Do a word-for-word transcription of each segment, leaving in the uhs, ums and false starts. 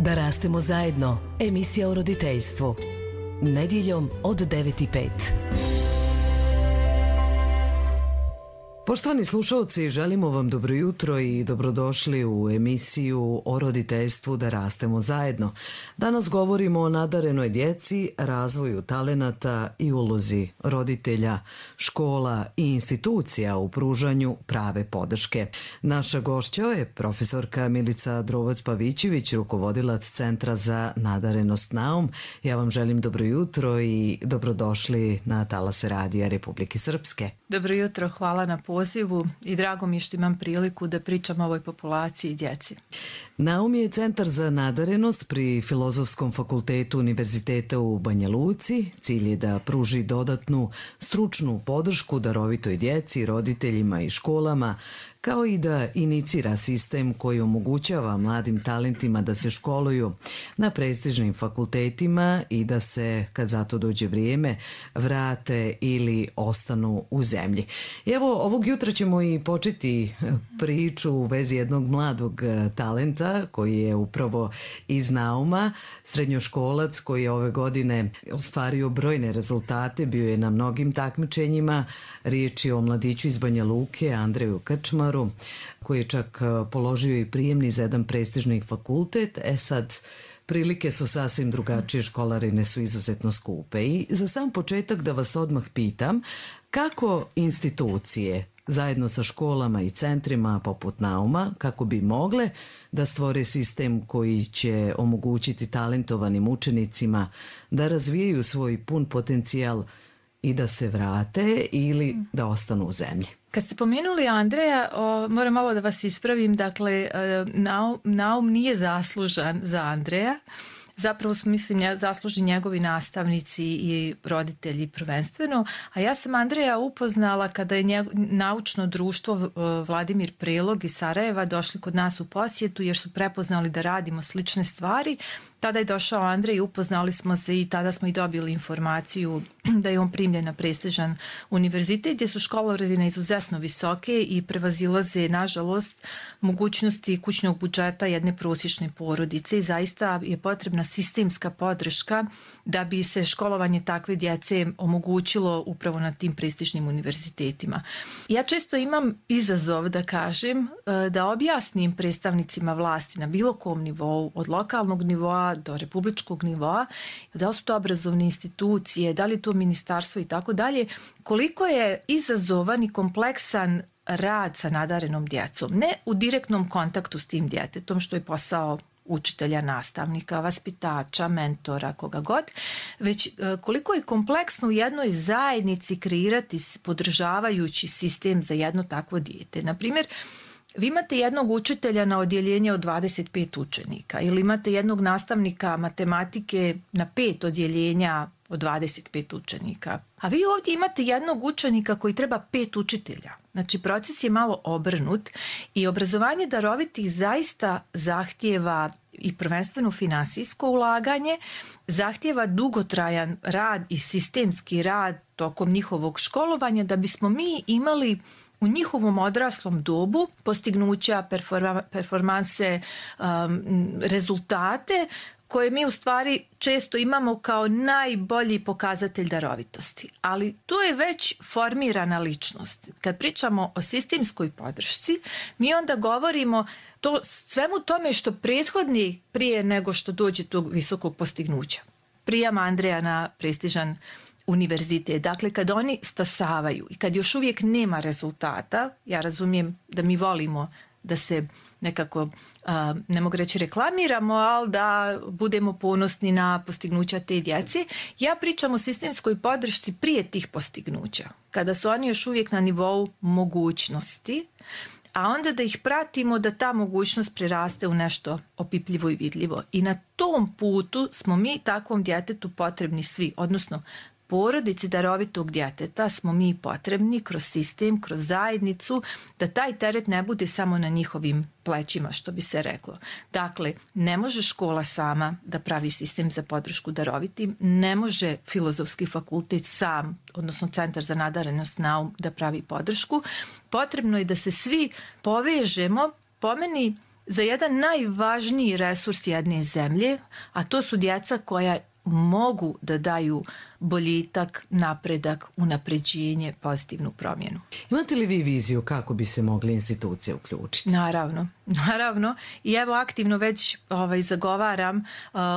Da rastemo zajedno. Emisija o roditeljstvu. Nedjeljom od devet i pet. Poštovani slušalci, želimo vam dobro jutro i dobrodošli u emisiju o roditeljstvu Da rastemo zajedno. Danas govorimo o nadarenoj djeci, razvoju talenata i ulozi roditelja, škola i institucija u pružanju prave podrške. Naša gošća je profesorka Milica Drovac-Pavićević, rukovodilac Centra za nadarenost Naum. Ja vam želim dobro jutro i dobrodošli na talase Radija Republike Srpske. Dobro jutro, hvala na pozivu i drago mi je što imam priliku da pričam o ovoj populaciji djeci. Naum je Centar za nadarenost pri Filozofskom fakultetu Univerziteta u Banja Luci. Cilj je da pruži dodatnu stručnu podršku darovitoj djeci, roditeljima i školama, kao i da inicira sistem koji omogućava mladim talentima da se školuju na prestižnim fakultetima i da se, kad za to dođe vrijeme, vrate ili ostanu u zemlji. I evo, ovog jutra ćemo i početi priču u vezi jednog mladog talenta koji je upravo iz Nauma, srednjoškolac koji je ove godine ostvario brojne rezultate, bio je na mnogim takmičenjima. Riječ je o mladiću iz Banja Luke, Andreju Krčmaru, koji je čak položio i prijemni za jedan prestižni fakultet. E sad, prilike su sasvim drugačije, školarine su izuzetno skupe. I za sam početak da vas odmah pitam, kako institucije zajedno sa školama i centrima poput Nauma, kako bi mogle da stvore sistem koji će omogućiti talentovanim učenicima da razvijaju svoj pun potencijal i da se vrate ili da ostanu u zemlji? Kad ste pomenuli Andreja, o, moram malo da vas ispravim, dakle, Naum, Naum nije zaslužan za Andreja. Zapravo su, mislim, zaslužni njegovi nastavnici i roditelji prvenstveno, a ja sam Andreja upoznala kada je njeg, naučno društvo Vladimir Prelog iz Sarajeva došli kod nas u posjetu jer su prepoznali da radimo slične stvari. Tada je došao Andrej i upoznali smo se i tada smo i dobili informaciju da je on primljen na prestižan univerzitet gdje su školarine izuzetno visoke i prevazilaze, nažalost, mogućnosti kućnog budžeta jedne prosječne porodice i zaista je potrebna sistemska podrška da bi se školovanje takve djece omogućilo upravo na tim prestižnim univerzitetima. Ja često imam izazov da kažem, da objasnim predstavnicima vlasti na bilo kom nivou, od lokalnog nivoa do republičkog nivoa, da li su to obrazovne institucije, da li je to ministarstvo i tako dalje, koliko je izazovan i kompleksan rad sa nadarenom djecom. Ne u direktnom kontaktu s tim djetetom, što je posao učitelja, nastavnika, vaspitača, mentora, koga god, već koliko je kompleksno u jednoj zajednici kreirati podržavajući sistem za jedno takvo dijete. Na primjer, vi imate jednog učitelja na odjeljenje od dvadeset pet učenika ili imate jednog nastavnika matematike na pet odjeljenja od dvadeset pet učenika. A vi ovdje imate jednog učenika koji treba pet učitelja. Znači, proces je malo obrnut i obrazovanje darovitih zaista zahtijeva i prvenstveno finansijsko ulaganje, zahtijeva dugotrajan rad i sistemski rad tokom njihovog školovanja da bismo mi imali u njihovom odraslom dobu postignuća, performa, performanse, um, rezultate koje mi u stvari često imamo kao najbolji pokazatelj darovitosti. Ali to je već formirana ličnost. Kad pričamo o sistemskoj podršci, mi onda govorimo to svemu tome što prethodni prije nego što dođe tog visokog postignuća. Prijam Andreja na prestižan univerzitet. Dakle, kad oni stasavaju i kad još uvijek nema rezultata, ja razumijem da mi volimo da se nekako, a, ne mogu reći reklamiramo, ali da budemo ponosni na postignuća te djece. Ja pričam o sistemskoj podršci prije tih postignuća, kada su oni još uvijek na nivou mogućnosti, a onda da ih pratimo da ta mogućnost preraste u nešto opipljivo i vidljivo. I na tom putu smo mi takvom djetetu potrebni svi, odnosno porodici darovitog djeteta smo mi potrebni kroz sistem, kroz zajednicu, da taj teret ne bude samo na njihovim plećima, što bi se reklo. Dakle, ne može škola sama da pravi sistem za podršku darovitim, ne može Filozofski fakultet sam, odnosno Centar za nadarenost Naum, da pravi podršku. Potrebno je da se svi povežemo, po meni, za jedan najvažniji resurs jedne zemlje, a to su djeca koja mogu da daju boljitak, napredak, unapređenje, pozitivnu promjenu. Imate li vi viziju kako bi se mogli institucije uključiti? Naravno, naravno. I evo aktivno već ovaj, zagovaram uh,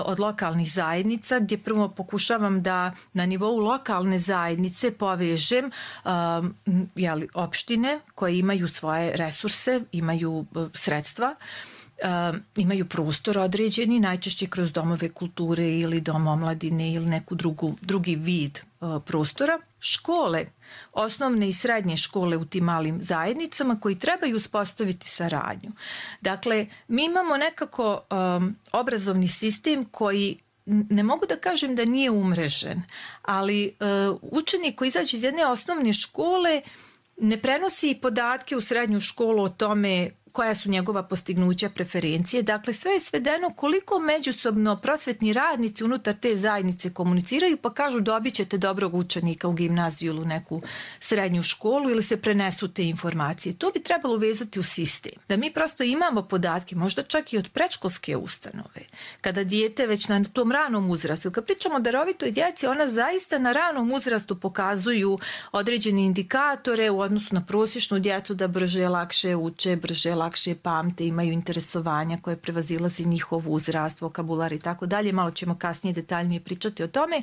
od lokalnih zajednica, gdje prvo pokušavam da na nivou lokalne zajednice povežem um, jeli, opštine koje imaju svoje resurse, imaju uh, sredstva, Uh, imaju prostor određeni, najčešće kroz domove kulture ili dom omladine ili neku drugu, drugi vid uh, prostora. Škole, osnovne i srednje škole u tim malim zajednicama koji trebaju uspostaviti saradnju. Dakle, mi imamo nekako um, obrazovni sistem koji ne mogu da kažem da nije umrežen, ali uh, učenik koji izađe iz jedne osnovne škole ne prenosi podatke u srednju školu o tome koja su njegova postignuća, preferencije. Dakle, sve je svedeno koliko međusobno prosvetni radnici unutar te zajednice komuniciraju, pa kažu dobit ćete dobrog učenika u gimnaziju ili u neku srednju školu ili se prenesu te informacije. To bi trebalo uvezati u sistem. Da mi prosto imamo podatke, možda čak i od predškolske ustanove. Kada dijete već na tom ranom uzrastu, kad pričamo o darovitoj djeci, ona zaista na ranom uzrastu pokazuju određene indikatore u odnosu na prosječnu djecu da brže, lakše uče, brže, lakše pamte, imaju interesovanja koje prevazilazi njihov uzrast, vokabular i tako dalje. Malo ćemo kasnije detaljnije pričati o tome.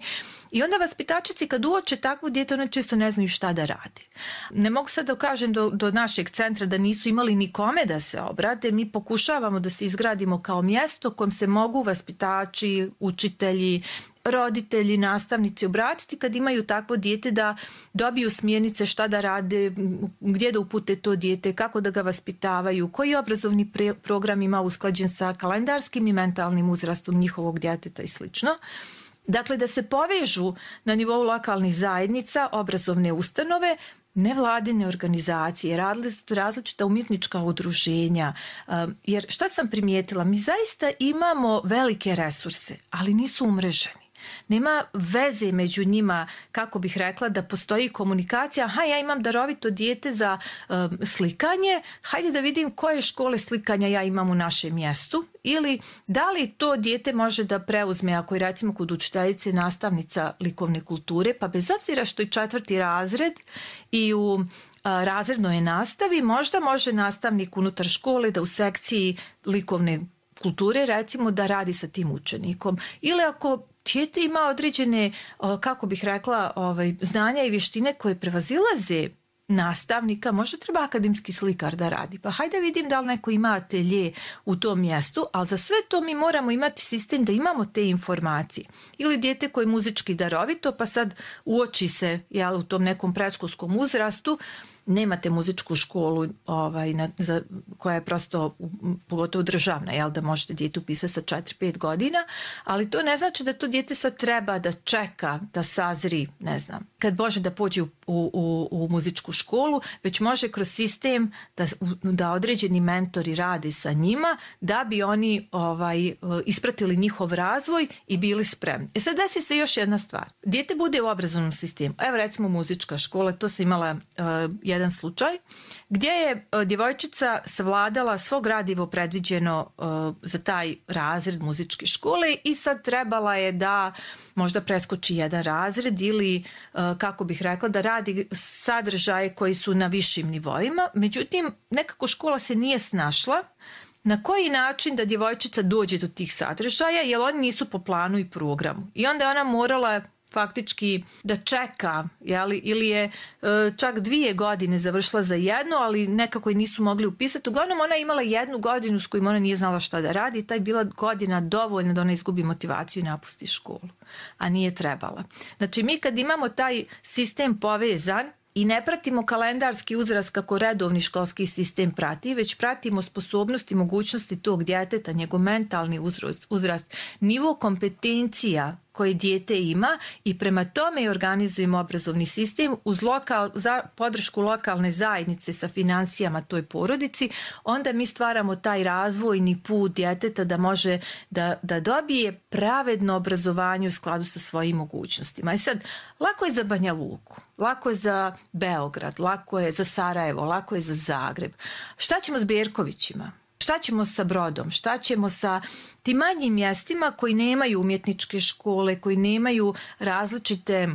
I onda vaspitačici kad uoče takvo dijete, one često ne znaju šta da rade. Ne mogu sad da kažem do, do našeg centra da nisu imali nikome da se obrate. Mi pokušavamo da se izgradimo kao mjesto kojem se mogu vaspitači, učitelji, roditelji, nastavnici obratiti kad imaju takvo dijete, da dobiju smjernice šta da rade, gdje da upute to dijete, kako da ga vaspitavaju, koji obrazovni pre- program ima usklađen sa kalendarskim i mentalnim uzrastom njihovog djeteta i slično. Dakle, da se povežu na nivou lokalnih zajednica, obrazovne ustanove, nevladine organizacije, različita umjetnička udruženja. Jer šta sam primijetila? Mi zaista imamo velike resurse, ali nisu umreženi. Nema veze među njima, kako bih rekla, da postoji komunikacija. Aha, ja imam darovito dijete za um, slikanje, hajde da vidim koje škole slikanja ja imam u našem mjestu. Ili da li to dijete može da preuzme, ako je recimo kod učiteljice nastavnica likovne kulture, pa bez obzira što je četvrti razred i u a, razrednoj nastavi, možda može nastavnik unutar škole da u sekciji likovne kulture recimo da radi sa tim učenikom. Ili ako dijete ima određene, kako bih rekla, ovaj, znanja i vještine koje prevazilaze nastavnika, možda treba akademski slikar da radi. Pa hajde vidim da li neko ima atelje u tom mjestu, ali za sve to mi moramo imati sistem da imamo te informacije. Ili dijete koje je muzički darovito, pa sad uoči se, jel, u tom nekom predškolskom uzrastu, nemate muzičku školu ovaj, na, za, koja je prosto pogotovo državna, jel, da možete dijete upisati sa četiri pet godina, ali to ne znači da to dijete sad treba da čeka da sazri, ne znam, kad može da pođe u, u, u muzičku školu, već može kroz sistem da, da određeni mentori rade sa njima da bi oni ovaj, ispratili njihov razvoj i bili spremni. E sad desi se još jedna stvar. Dijete bude u obrazovnom sistemu. Evo recimo muzička škola, to sam imala uh, jedan slučaj gdje je uh, djevojčica savladala svo gradivo predviđeno uh, za taj razred muzičke škole i sad trebala je da možda preskoči jedan razred ili, uh, kako bih rekla, da radi sadržaje koji su na višim nivoima. Međutim, nekako škola se nije snašla na koji način da djevojčica dođe do tih sadržaja, jer oni nisu po planu i programu. I onda je ona morala faktički da čeka, jeli, ili je e, čak dvije godine završila za jedno, ali nekako je nisu mogli upisati. Uglavnom ona je imala jednu godinu s kojom ona nije znala šta da radi i taj bila godina dovoljna da ona izgubi motivaciju i napusti školu, a nije trebala. Znači mi kad imamo taj sistem povezan i ne pratimo kalendarski uzrast kako redovni školski sistem prati, već pratimo sposobnosti i mogućnosti tog djeteta, njegov mentalni uzrast, uzrast, nivo kompetencija koje dijete ima i prema tome organizujemo obrazovni sistem uz lokal, za podršku lokalne zajednice sa financijama toj porodici, onda mi stvaramo taj razvojni put djeteta da može da, da dobije pravedno obrazovanje u skladu sa svojim mogućnostima. I sad, lako je za Banja Luku, lako je za Beograd, lako je za Sarajevo, lako je za Zagreb. Šta ćemo s Berkovićima? Šta ćemo sa Brodom? Šta ćemo sa tim manjim mjestima koji nemaju umjetničke škole, koji nemaju različite,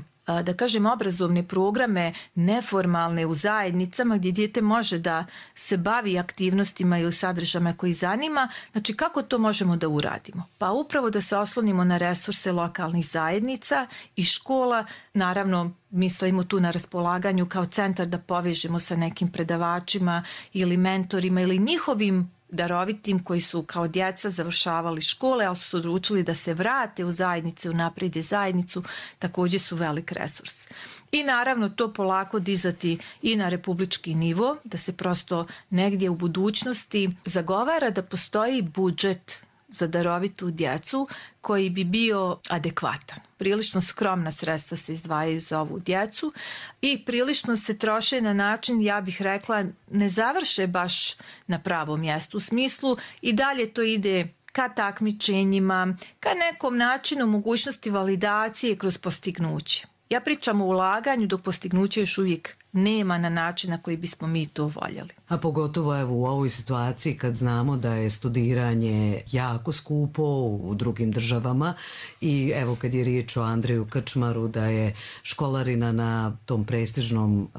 da kažem, obrazovne programe neformalne u zajednicama gdje dijete može da se bavi aktivnostima ili sadržajima koji zanima. Znači, kako to možemo da uradimo? Pa upravo da se oslonimo na resurse lokalnih zajednica i škola. Naravno, mi stojimo tu na raspolaganju kao centar da povežemo sa nekim predavačima ili mentorima ili njihovim darovitim koji su kao djeca završavali škole, ali su se odlučili da se vrate u zajednice, unaprijede zajednicu, također su velik resurs. I naravno to polako dizati i na republički nivo, da se prosto negdje u budućnosti zagovara da postoji budžet za darovitu djecu koji bi bio adekvatan. Prilično skromna sredstva se izdvajaju za ovu djecu i prilično se troše na način, ja bih rekla, ne završe baš na pravom mjestu. U smislu i dalje to ide ka takmičenjima, ka nekom načinu mogućnosti validacije kroz postignuće. Ja pričam o ulaganju dok postignuće još uvijek nema na način na koji bismo mi to voljeli. A pogotovo evo u ovoj situaciji kad znamo da je studiranje jako skupo u drugim državama i evo kad je riječ o Andreju Krčmaru da je školarina na tom prestižnom uh,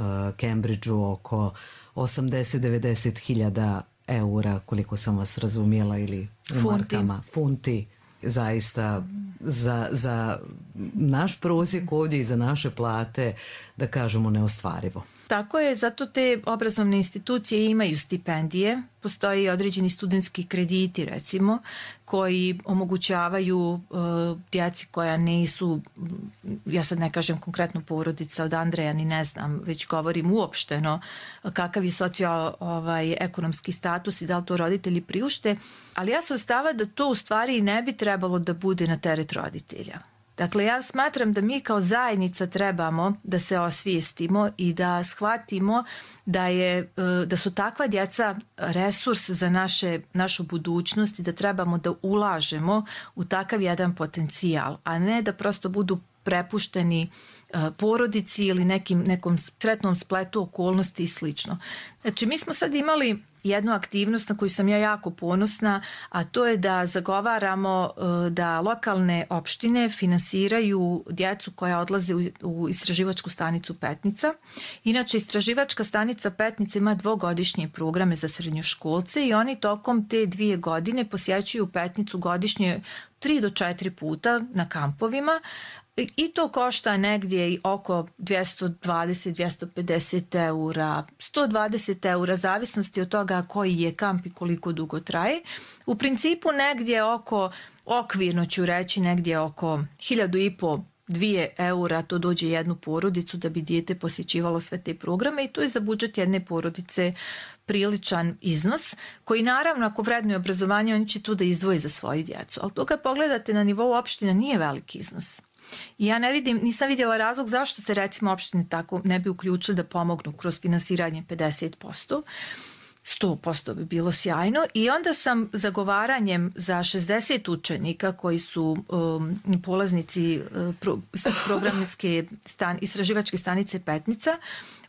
Cambridgeu oko osamdeset do devedeset hiljada eura, koliko sam vas razumjela, ili u markama, funti. Zaista za, za naš prosjek ovdje i za naše plate, da kažemo, neostvarivo. Tako je, zato te obrazovne institucije imaju stipendije, postoje i određeni studentski krediti recimo koji omogućavaju uh, djeci koja nisu, ja sad ne kažem konkretno porodica od Andreja, ni ne znam, već govorim uopšteno kakav je socio-ekonomski status i da li to roditelji priušte, ali ja sam stava da to u stvari ne bi trebalo da bude na teret roditelja. Dakle, ja smatram da mi kao zajednica trebamo da se osvijestimo i da shvatimo da, je, da su takva djeca resurs za naše, našu budućnost i da trebamo da ulažemo u takav jedan potencijal, a ne da prosto budu prepušteni porodici ili nekim, nekom sretnom spletu okolnosti i slično. Znači, mi smo sad imali jednu aktivnost na koju sam ja jako ponosna, a to je da zagovaramo da lokalne opštine finansiraju djecu koja odlaze u istraživačku stanicu Petnica. Inače, istraživačka stanica Petnica ima dvogodišnje programe za srednjoškolce i oni tokom te dvije godine posjećuju Petnicu godišnje tri do četiri puta na kampovima. I to košta negdje oko dvjesto dvadeset do dvjesto pedeset eura, sto dvadeset eura, zavisnosti od toga koji je kamp i koliko dugo traje. U principu negdje oko, okvirno ću reći, negdje oko hiljadu i po, dvije eura to dođe jednu porodicu da bi dijete posjećivalo sve te programe i to je za budžet jedne porodice priličan iznos koji naravno ako vrednuje obrazovanje oni će tu da izdvoji za svoju djecu. Ali to kad pogledate na nivou opština nije veliki iznos. I ja ne vidim, nisam vidjela razlog zašto se recimo opštine tako ne bi uključili da pomognu kroz finansiranje pedeset posto. sto posto bi bilo sjajno i onda sam zagovaranjem za šezdeset učenika koji su um, polaznici uh, pro, programske stan, istraživačke stanice Petnica,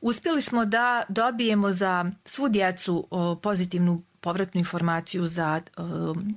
uspjeli smo da dobijemo za svu djecu uh, pozitivnu povratnu informaciju za, um,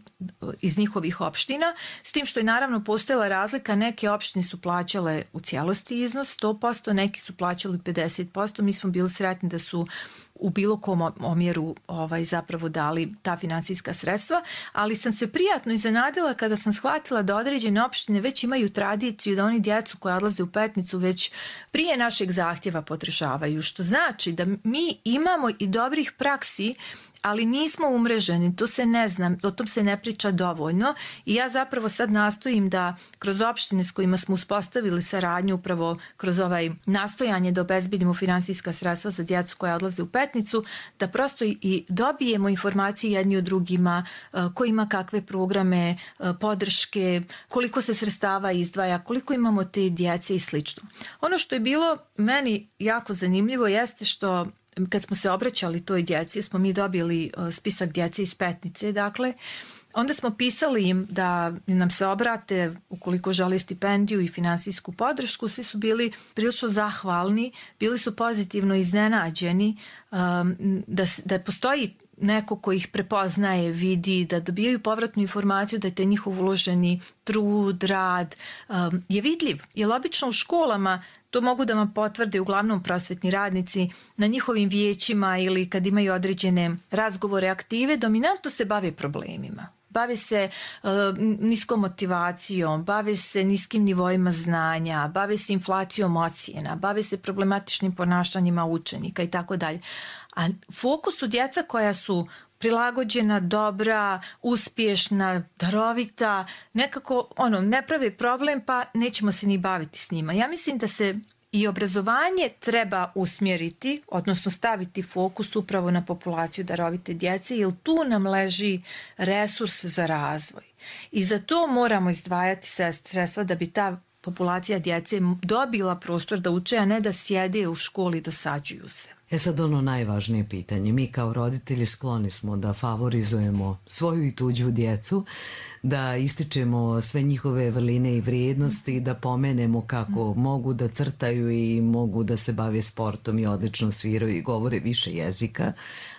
iz njihovih opština, s tim što je naravno postojala razlika, neke opštine su plaćale u cijelosti iznos sto posto, neki su plaćali pedeset posto, mi smo bili sretni da su u bilo kom omjeru ovaj, zapravo dali ta finansijska sredstva, ali sam se prijatno iznenadila kada sam shvatila da određene opštine već imaju tradiciju da oni djecu koja odlaze u Petnicu već prije našeg zahtjeva podržavaju, što znači da mi imamo i dobrih praksi, ali nismo umreženi, to se ne znam, o tom se ne priča dovoljno i ja zapravo sad nastojim da kroz opštine s kojima smo uspostavili saradnju upravo kroz ovaj nastojanje da obezbedimo finansijska sredstva za djecu koja odlaze u Petnicu, da prosto i dobijemo informacije jedni od drugima, ko ima kakve programe, podrške, koliko se sredstava izdvaja, koliko imamo te djece i slično. Ono što je bilo meni jako zanimljivo jeste što kad smo se obraćali toj djeci, smo mi dobili spisak djece iz Petnice, dakle, onda smo pisali im da nam se obrate ukoliko žele stipendiju i finansijsku podršku. Svi su bili prilično zahvalni, bili su pozitivno iznenađeni um, da, da postoji neko ko ih prepoznaje, vidi, da dobijaju povratnu informaciju da je te njihov uloženi trud, rad um, je vidljiv. Jer obično u školama, to mogu da vam potvrde uglavnom prosvetni radnici, na njihovim vijećima ili kad imaju određene razgovore, aktive, dominantno se bave problemima. Bave se uh, niskom motivacijom, bave se niskim nivoima znanja, bave se inflacijom ocjena, bave se problematičnim ponašanjima učenika i tako dalje. A fokus su djeca koja su prilagođena, dobra, uspješna, darovita, nekako ono, ne pravi problem pa nećemo se ni baviti s njima. Ja mislim da se i obrazovanje treba usmjeriti, odnosno staviti fokus upravo na populaciju darovite djece, jer tu nam leži resurs za razvoj. I za to moramo izdvajati sredstva da bi ta populacija djece dobila prostor da uče, a ne da sjede u školi i dosađuju se. E sad ono najvažnije pitanje. Mi kao roditelji skloni smo da favorizujemo svoju i tuđu djecu, da ističemo sve njihove vrline i vrijednosti, da pomenemo kako mogu da crtaju i mogu da se bave sportom i odlično sviraju i govore više jezika,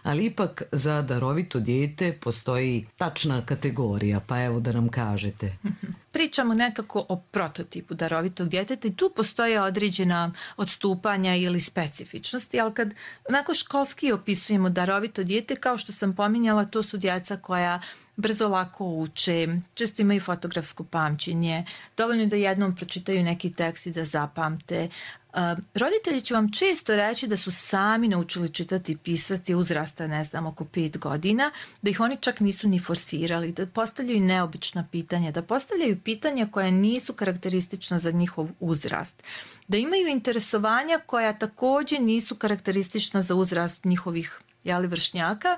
ali ipak za darovito dijete postoji tačna kategorija, pa evo da nam kažete. Pričamo nekako o prototipu darovitog djeteta i tu postoje određena odstupanja ili specifičnosti, ali kad onako školski opisujemo darovito dijete, kao što sam pominjala, to su djeca koja brzo lako uče, često imaju fotografsko pamćenje, dovoljno da jednom pročitaju neki tekst i da zapamte. Uh, roditelji će vam često reći da su sami naučili čitati i pisati uzrasta, ne znam, oko pet godina, da ih oni čak nisu ni forsirali, da postavljaju neobična pitanja, da postavljaju pitanja koja nisu karakteristična za njihov uzrast, da imaju interesovanja koja također nisu karakteristična za uzrast njihovih jeli, vršnjaka,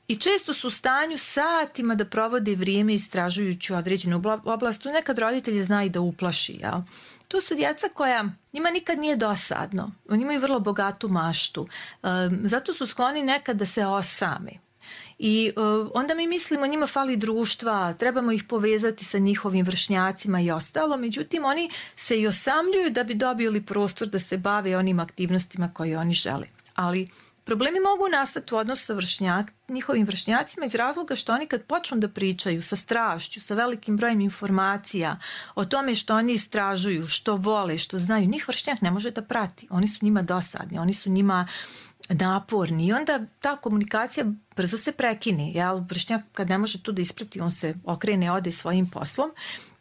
i često su u stanju satima da provode vrijeme istražujući određenu oblast. Tu nekad roditelji znaju da uplaši. Jel? To su djeca koja njima nikad nije dosadno. Oni imaju vrlo bogatu maštu. Um, zato su skloni nekad da se osame. I uh, onda mi mislimo njima fali društva, trebamo ih povezati sa njihovim vršnjacima i ostalo. Međutim, oni se i osamljuju da bi dobili prostor da se bave onim aktivnostima koje oni žele. Ali problemi mogu nastati u odnosu sa vršnjak, njihovim vršnjacima iz razloga što oni kad počnu da pričaju sa strašću, sa velikim brojem informacija o tome što oni istražuju, što vole, što znaju, njih vršnjak ne može da prati. Oni su njima dosadni, oni su njima naporni i onda ta komunikacija brzo se prekine. Jel? Vršnjak kad ne može tu da isprati, on se okrene, ode svojim poslom.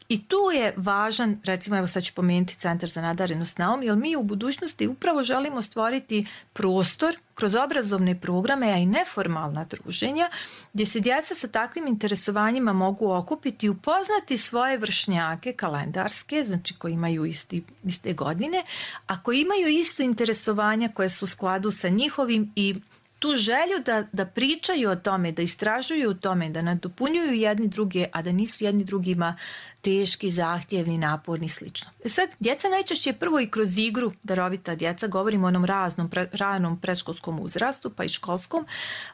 I tu je važan, recimo evo sad ću pomenuti Centar za nadarenost Naum, jer mi u budućnosti upravo želimo stvoriti prostor kroz obrazovne programe, a i neformalna druženja, gdje se djeca sa takvim interesovanjima mogu okupiti i upoznati svoje vršnjake kalendarske, znači koji imaju isti, iste godine, a koji imaju isto interesovanja koje su u skladu sa njihovim i tu želju da, da pričaju o tome, da istražuju o tome, da nadopunjuju jedni druge, a da nisu jedni drugima teški, zahtjevni, naporni, slično. E sad, djeca najčešće prvo i kroz igru, darovita djeca, govorimo o onom raznom, pre, ranom predškolskom uzrastu, pa i školskom,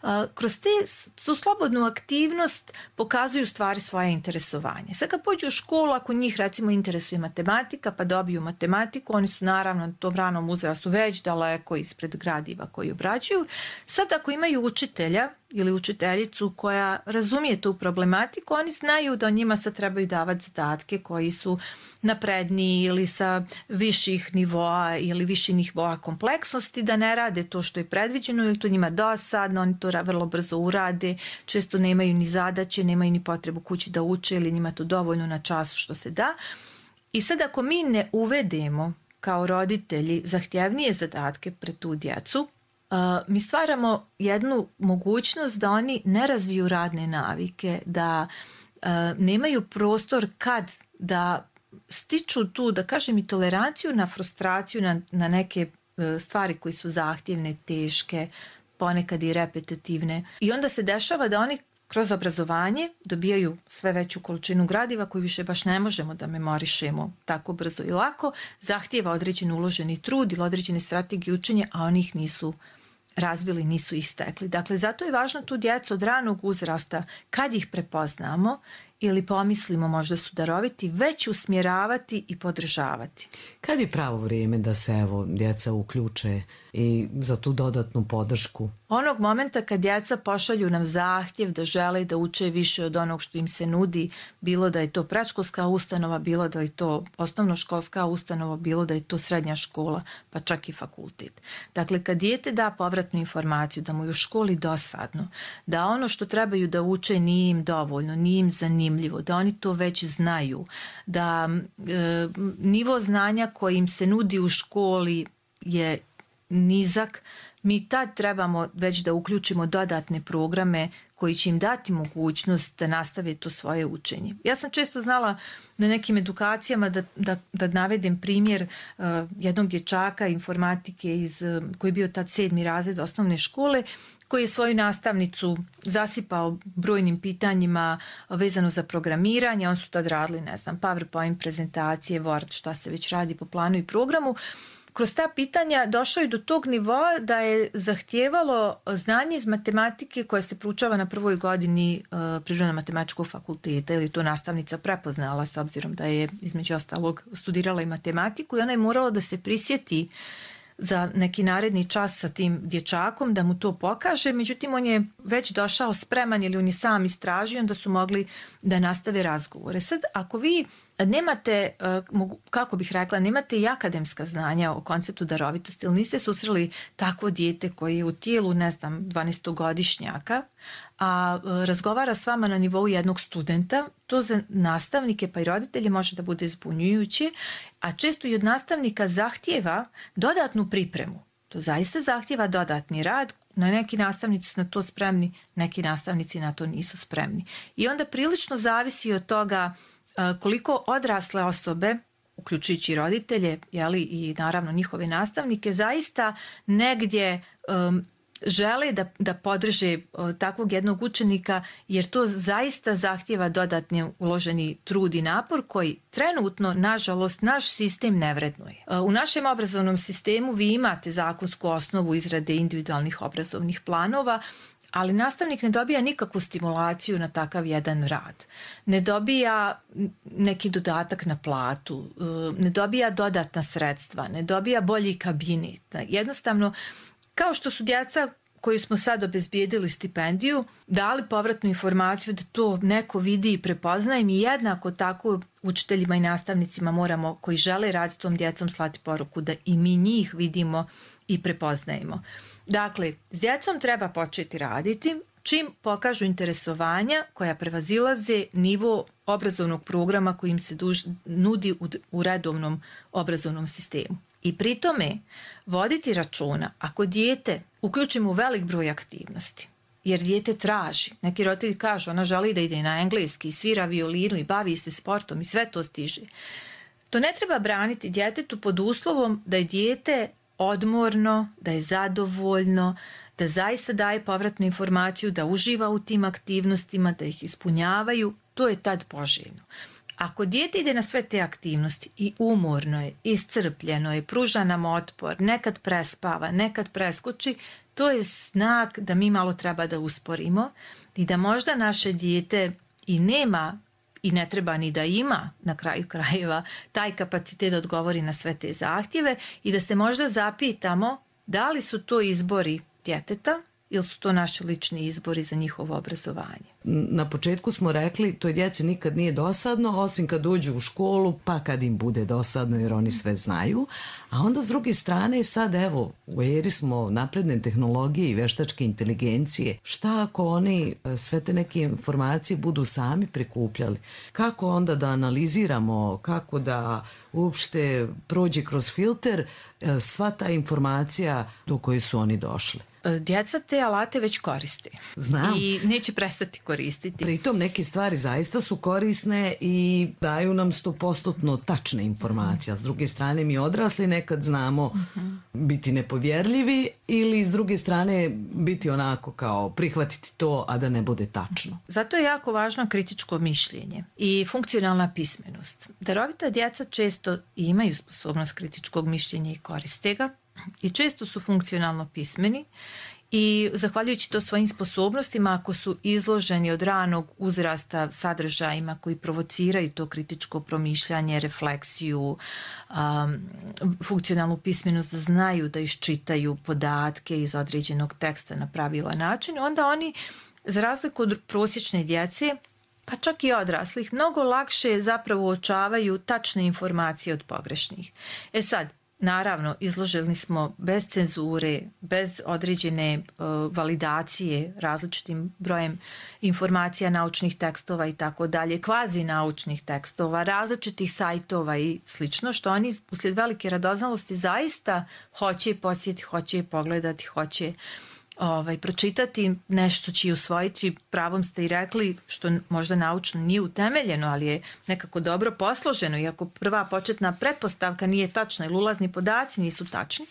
uh, kroz te su slobodnu aktivnost pokazuju stvari svoje interesovanje. Sad kad pođu u školu, ako njih recimo interesuje matematika, pa dobiju matematiku, oni su naravno na tom ranom uzrastu već daleko ispred gradiva koji obrađuju. Sad ako imaju učitelja ili učiteljicu koja razumije tu problematiku, oni znaju da njima sad trebaju davati zadatke koji su napredniji ili sa viših nivoa ili viših nivoa kompleksnosti, da ne rade to što je predviđeno ili to njima dosadno, oni to vrlo brzo urade, često nemaju ni zadaće, nemaju ni potrebu kući da uče ili njima to dovoljno na času što se da. I sad ako mi ne uvedemo kao roditelji zahtjevnije zadatke pred tu djecu, Uh, mi stvaramo jednu mogućnost da oni ne razviju radne navike, da uh, nemaju prostor kad da stiču tu, da kažem, i toleranciju na frustraciju, na, na neke uh, stvari koje su zahtjevne, teške, ponekad i repetitivne. I onda se dešava da oni kroz obrazovanje dobijaju sve veću količinu gradiva koju više baš ne možemo da memorišemo tako brzo i lako, zahtjeva određen uloženi trud ili određene strategije učenja, a oni ih nisu razvili, nisu ih stekli. Dakle, zato je važno tu djecu od ranog uzrasta, kad ih prepoznamo ili pomislimo možda su daroviti, već usmjeravati i podržavati. Kad je pravo vrijeme da se evo djeca uključe i za tu dodatnu podršku? Onog momenta kad djeca pošalju nam zahtjev da žele da uče više od onog što im se nudi, bilo da je to predškolska ustanova, bilo da je to osnovnoškolska ustanova, bilo da je to srednja škola, pa čak i fakultet. Dakle, kad dijete da povratnu informaciju da mu je u školi dosadno, da ono što trebaju da uče nije im dovoljno, nije im zanimljivo, da oni to već znaju, da e, nivo znanja koji im se nudi u školi je nizak, mi tad trebamo već da uključimo dodatne programe koji će im dati mogućnost da nastave to svoje učenje. Ja sam često znala na nekim edukacijama da, da, da navedem primjer uh, jednog dječaka informatike iz, uh, koji je bio tad sedmi razred osnovne škole, koji je svoju nastavnicu zasipao brojnim pitanjima vezano za programiranje. On su tad radili, ne znam, PowerPoint prezentacije, Word, šta se već radi po planu i programu. Kroz ta pitanja došao je do tog nivoa da je zahtijevalo znanje iz matematike koje se proučava na prvoj godini uh, Prirodno-matematičkog fakulteta, ili to nastavnica prepoznala s obzirom da je između ostalog studirala i matematiku, i ona je morala da se prisjeti za neki naredni čas sa tim dječakom da mu to pokaže, međutim on je već došao spreman ili on je sam istražio, onda su mogli da nastave razgovore. Sad, ako vi nemate, kako bih rekla, nemate i akademska znanja o konceptu darovitosti ili niste susreli takvo dijete koje je u tijelu, ne znam, dvanaestogodišnjaka, a razgovara s vama na nivou jednog studenta, to za nastavnike pa i roditelje može da bude zbunjujuće, a često i od nastavnika zahtijeva dodatnu pripremu. To zaista zahtijeva dodatni rad. Na neki nastavnici su na to spremni, neki nastavnici na to nisu spremni. I onda prilično zavisi od toga koliko odrasle osobe, uključujući roditelje, jeli, i naravno njihove nastavnike, zaista negdje um, žele da, da podrže uh, takvog jednog učenika, jer to zaista zahtjeva dodatni uloženi trud i napor koji trenutno, nažalost, naš sistem ne vrednuje. Uh, u našem obrazovnom sistemu vi imate zakonsku osnovu izrade individualnih obrazovnih planova, ali nastavnik ne dobija nikakvu stimulaciju na takav jedan rad. Ne dobija neki dodatak na platu, ne dobija dodatna sredstva, ne dobija bolji kabinet. Jednostavno, kao što su djeca koju smo sad obezbijedili stipendiju, dali povratnu informaciju da to neko vidi i prepoznaje, mi jednako tako učiteljima i nastavnicima moramo, koji žele raditi s tom djecom, slati poruku da i mi njih vidimo i prepoznajemo. Dakle, s djecom treba početi raditi čim pokažu interesovanja koja prevazilaze nivo obrazovnog programa koji im se duž, nudi u, u redovnom obrazovnom sistemu. I pri tome voditi računa ako dijete uključimo u velik broj aktivnosti, jer dijete traži, neki roditelji kažu ona želi da ide na engleski, svira violinu i bavi se sportom i sve to stiže. To ne treba braniti djetetu pod uslovom da je dijete odmorno, da je zadovoljno, da zaista daje povratnu informaciju, da uživa u tim aktivnostima, da ih ispunjavaju, to je tad poželjno. Ako dijete ide na sve te aktivnosti i umorno je, iscrpljeno je, pruža nam otpor, nekad prespava, nekad preskoči, to je znak da mi malo treba da usporimo i da možda naše dijete i nema i ne treba ni da ima na kraju krajeva taj kapacitet da odgovori na sve te zahtjeve i da se možda zapitamo da li su to izbori djeteta ili su to naši lični izbori za njihovo obrazovanje. Na početku smo rekli to djeci nikad nije dosadno, osim kad uđu u školu, pa kad im bude dosadno jer oni sve znaju. A onda s druge strane sad evo, u eri smo napredne tehnologije i veštačke inteligencije. Šta ako oni sve te neke informacije budu sami prikupljali? Kako onda da analiziramo, kako da uopšte prođe kroz filter sva ta informacija do koje su oni došli? Djeca te alate već koriste. Znam. I neće prestati koristiti. Pritom neke stvari zaista su korisne i daju nam stopostotno tačne informacije. S druge strane mi odrasli nekad znamo uh-huh. biti nepovjerljivi ili s druge strane biti onako kao prihvatiti to, a da ne bude tačno. Zato je jako važno kritičko mišljenje i funkcionalna pismenost. Darovita djeca često imaju sposobnost kritičkog mišljenja i koriste ga. I često su funkcionalno pismeni i zahvaljujući to svojim sposobnostima, ako su izloženi od ranog uzrasta sadržajima koji provociraju to kritičko promišljanje, refleksiju, um, funkcionalnu pismenost, da znaju da iščitaju podatke iz određenog teksta na pravilan način, onda oni, za razliku od prosječne djece, pa čak i odraslih, mnogo lakše zapravo uočavaju tačne informacije od pogrešnih. E sad, naravno, izloženi smo bez cenzure, bez određene uh, validacije različitim brojem informacija, naučnih tekstova i tako dalje, kvazi naučnih tekstova, različitih sajtova i slično, što oni uslijed velike radoznalosti zaista hoće posjetiti, hoće pogledati, hoće Ovaj, pročitati nešto će i usvojiti, pravom ste i rekli, što možda naučno nije utemeljeno, ali je nekako dobro posloženo, iako prva početna pretpostavka nije tačna ili ulazni podaci nisu tačni.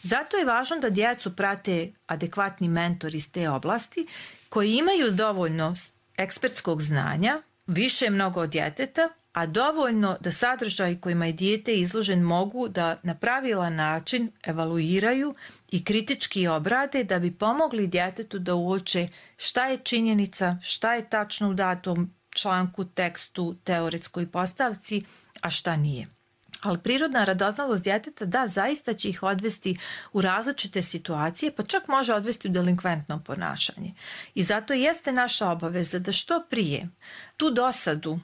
Zato je važno da djecu prate adekvatni mentori iz te oblasti koji imaju dovoljno ekspertskog znanja, više mnogo od djeteta, a dovoljno da sadržaj kojima je dijete izložen mogu da na pravilan način evaluiraju i kritički obrade da bi pomogli djetetu da uoče šta je činjenica, šta je tačno u datom članku, tekstu, teoretskoj postavci, a šta nije. Ali prirodna radoznalost djeteta, da, zaista će ih odvesti u različite situacije, pa čak može odvesti u delinkventno ponašanje. I zato jeste naša obaveza da što prije tu dosadu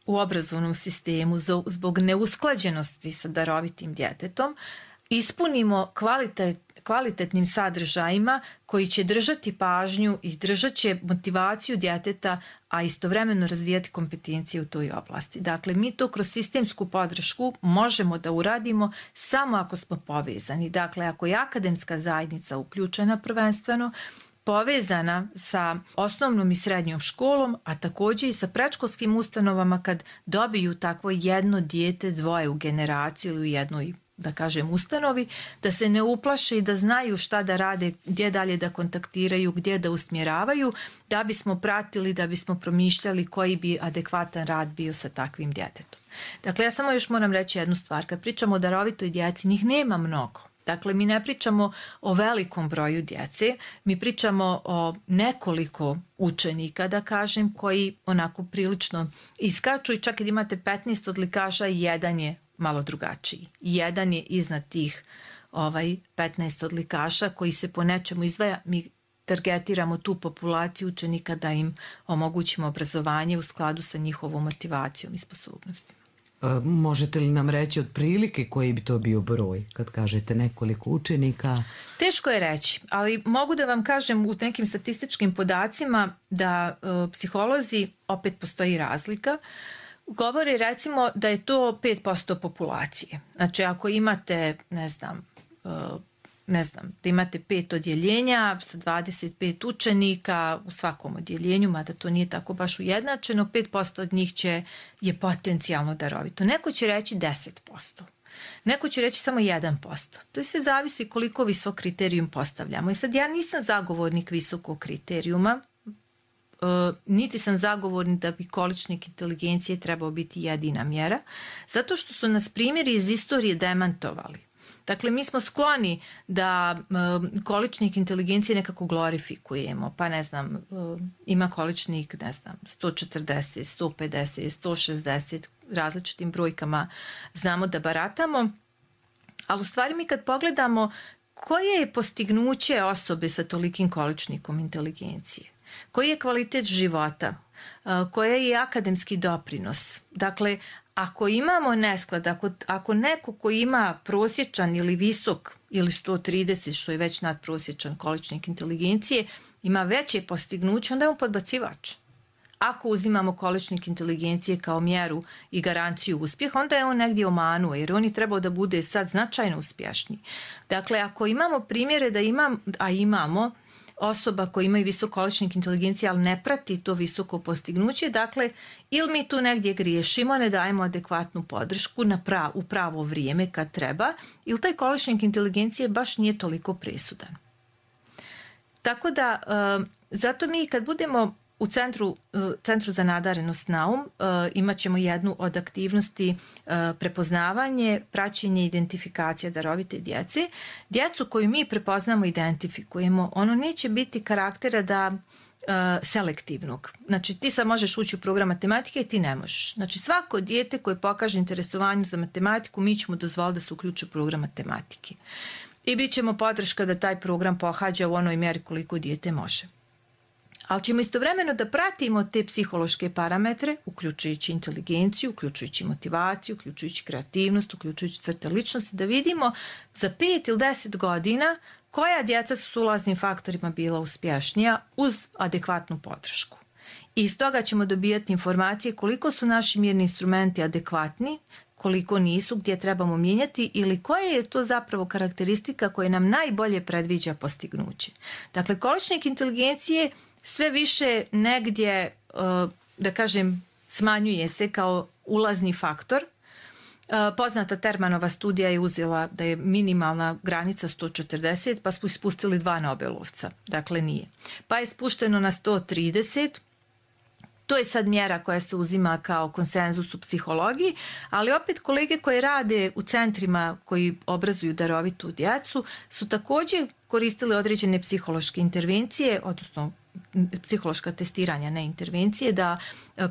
u obrazovnom sistemu zbog neusklađenosti sa darovitim djetetom ispunimo kvalitet, kvalitetnim sadržajima koji će držati pažnju i držat će motivaciju djeteta, a istovremeno razvijati kompetencije u toj oblasti. Dakle, mi to kroz sistemsku podršku možemo da uradimo samo ako smo povezani. Dakle, ako je akademska zajednica uključena prvenstveno, povezana sa osnovnom i srednjom školom, a također i sa predškolskim ustanovama kad dobiju takvo jedno dijete, dvoje u generaciji ili u jednoj, da kažem, ustanovi, da se ne uplaše i da znaju šta da rade, gdje dalje da kontaktiraju, gdje da usmjeravaju, da bismo pratili, da bismo promišljali koji bi adekvatan rad bio sa takvim djetetom. Dakle, ja samo još moram reći jednu stvar. Kad pričamo o darovitoj djeci, njih nema mnogo. Dakle, mi ne pričamo o velikom broju djece, mi pričamo o nekoliko učenika, da kažem, koji onako prilično iskaču i čak kad imate petnaest odlikaša, jedan je malo drugačiji. Jedan je iznad tih ovaj, petnaest odlikaša koji se po nečemu izdvaja. Mi targetiramo tu populaciju učenika da im omogućimo obrazovanje u skladu sa njihovom motivacijom i sposobnostima. Možete li nam reći otprilike koji bi to bio broj kad kažete nekoliko učenika? Teško je reći, ali mogu da vam kažem u nekim statističkim podacima da e, psiholozi, opet postoji razlika, govore recimo da je to pet posto populacije. Znači ako imate, ne znam, e, ne znam, da imate pet odjeljenja sa dvadeset pet učenika u svakom odjeljenju, mada to nije tako baš ujednačeno, pet posto od njih će, je potencijalno darovito. Neko će reći deset posto. Neko će reći samo jedan posto. To sve zavisi koliko visok kriterijum postavljamo. I sad ja nisam zagovornik visokog kriterijuma, e, niti sam zagovornik da bi količnik inteligencije trebao biti jedina mjera, zato što su nas primjeri iz istorije demantovali. Dakle, mi smo skloni da um, količnik inteligencije nekako glorifikujemo, pa ne znam, um, ima količnik, ne znam, sto četrdeset, sto pedeset, sto šezdeset, različitim brojkama znamo da baratamo, ali u stvari mi kad pogledamo koje je postignuće osobe sa tolikim količnikom inteligencije, koji je kvalitet života, uh, koji je akademski doprinos, dakle, ako imamo nesklad, ako, ako neko koji ima prosječan ili visok ili sto trideset, što je već nadprosječan količnik inteligencije, ima veće postignuće, onda je on podbacivač. Ako uzimamo količnik inteligencije kao mjeru i garanciju uspjeha, onda je on negdje omanuo, jer on je trebao da bude sad značajno uspješniji. Dakle, ako imamo primjere da imam, a imamo, osoba koja imaju visok količnik inteligencije, ali ne prati to visoko postignuće, dakle, ili mi tu negdje griješimo, ne dajemo adekvatnu podršku na prav, u pravo vrijeme kad treba, ili taj količnik inteligencije baš nije toliko presudan. Tako da, zato mi kad budemo u centru, centru za nadarenost Naum uh, imat ćemo jednu od aktivnosti uh, prepoznavanje, praćenje, identifikacija darovite djece. Djecu koju mi prepoznamo i identifikujemo, ono neće biti karaktera da uh, selektivnog. Znači ti sad možeš ući u program matematike i ti ne možeš. Znači svako dijete koje pokaže interesovanju za matematiku, mi ćemo dozvoliti da se uključi u program matematike. I bit ćemo podrška da taj program pohađa u onoj mjeri koliko dijete može. Ali ćemo istovremeno da pratimo te psihološke parametre, uključujući inteligenciju, uključujući motivaciju, uključujući kreativnost, uključujući crte ličnosti, da vidimo za pet ili deset godina koja djeca su s ulaznim faktorima bila uspješnija uz adekvatnu podršku. I iz toga ćemo dobijati informacije koliko su naši mirni instrumenti adekvatni, koliko nisu, gdje trebamo mijenjati ili koja je to zapravo karakteristika koja nam najbolje predviđa postignuće. Dakle, količnik inteligencije sve više negdje, da kažem, smanjuje se kao ulazni faktor. Poznata Termanova studija je uzela da je minimalna granica sto četrdeset, pa smo ispustili dva Nobelovca. Dakle, nije. Pa je spušteno na sto trideset. To je sad mjera koja se uzima kao konsenzus u psihologiji, ali opet kolege koje rade u centrima koji obrazuju darovitu djecu su također koristili određene psihološke intervencije, odnosno psihološka testiranja, ne intervencije, da